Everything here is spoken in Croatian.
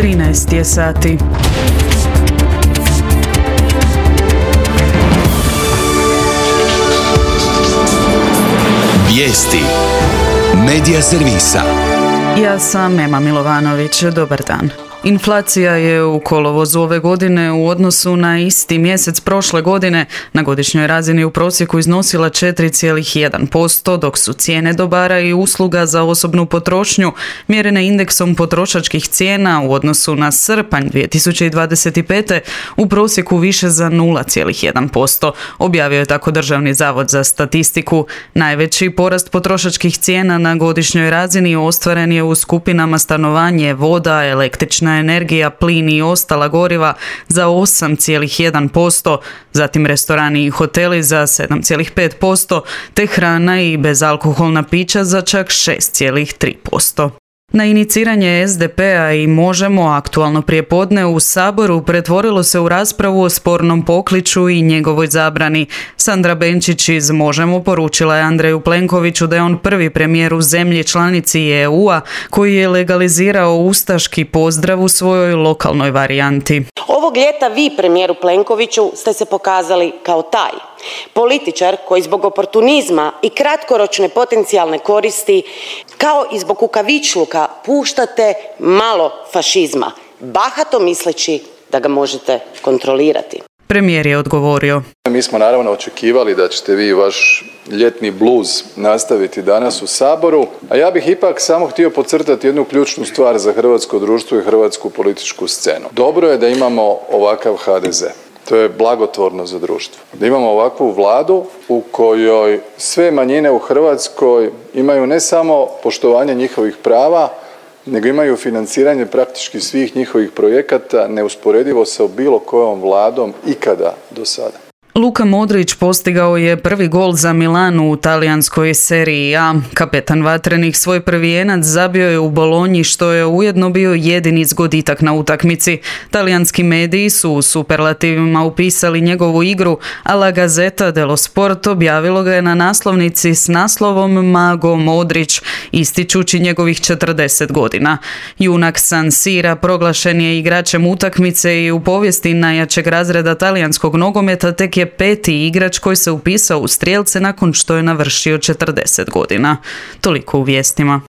13 je sati. Vijesti Medija servisa. Ja sam Ema Milovanović, dobar dan. Inflacija je u kolovozu ove godine u odnosu na isti mjesec prošle godine na godišnjoj razini u prosjeku iznosila 4,1%, dok su cijene dobara i usluga za osobnu potrošnju mjerene indeksom potrošačkih cijena u odnosu na srpanj 2025. u prosjeku više za 0,1%, objavio je tako Državni zavod za statistiku. Najveći porast potrošačkih cijena na godišnjoj razini ostvaren je u skupinama stanovanje, voda, električna energija, plin i ostala goriva za 8,1%, zatim restorani i hoteli za 7,5%, te hrana i bezalkoholna pića za čak 6,3%. Na iniciranje SDP-a i Možemo aktualno prijepodne u Saboru pretvorilo se u raspravu o spornom pokliču i njegovoj zabrani. Sandra Benčić iz Možemo poručila je Andreju Plenkoviću da je on prvi premijer u zemlji članici EU-a koji je legalizirao ustaški pozdrav u svojoj lokalnoj varijanti. Ovog ljeta vi, premijeru Plenkoviću, ste se pokazali kao taj. Političar koji zbog oportunizma i kratkoročne potencijalne koristi, kao i zbog kukavičluka, puštate malo fašizma, bahato misleći da ga možete kontrolirati. Premijer je odgovorio: Mi smo naravno očekivali da ćete vi vaš ljetni bluz nastaviti danas u Saboru, a ja bih ipak samo htio podcrtati jednu ključnu stvar za hrvatsko društvo i hrvatsku političku scenu. Dobro je da imamo ovakav HDZ. To je blagotvorno za društvo. Da imamo ovakvu vladu u kojoj sve manjine u Hrvatskoj imaju ne samo poštovanje njihovih prava, nego imaju financiranje praktički svih njihovih projekata neusporedivo sa bilo kojom vladom ikada do sada. Luka Modrić postigao je prvi gol za Milanu u talijanskoj seriji A. Kapetan vatrenih svoj prvi jenac zabio je u Bolonji, što je ujedno bio jedini zgoditak na utakmici. Talijanski mediji su u superlativima upisali njegovu igru, a La Gazzetta dello Sport objavilo ga je na naslovnici s naslovom Mago Modrić, ističući njegovih 40 godina. Junak San Sira proglašen je igračem utakmice i u povijesti najjačeg razreda talijanskog nogometa tek je peti igrač koji se upisao u strijelce nakon što je navršio 40 godina. Toliko u vijestima.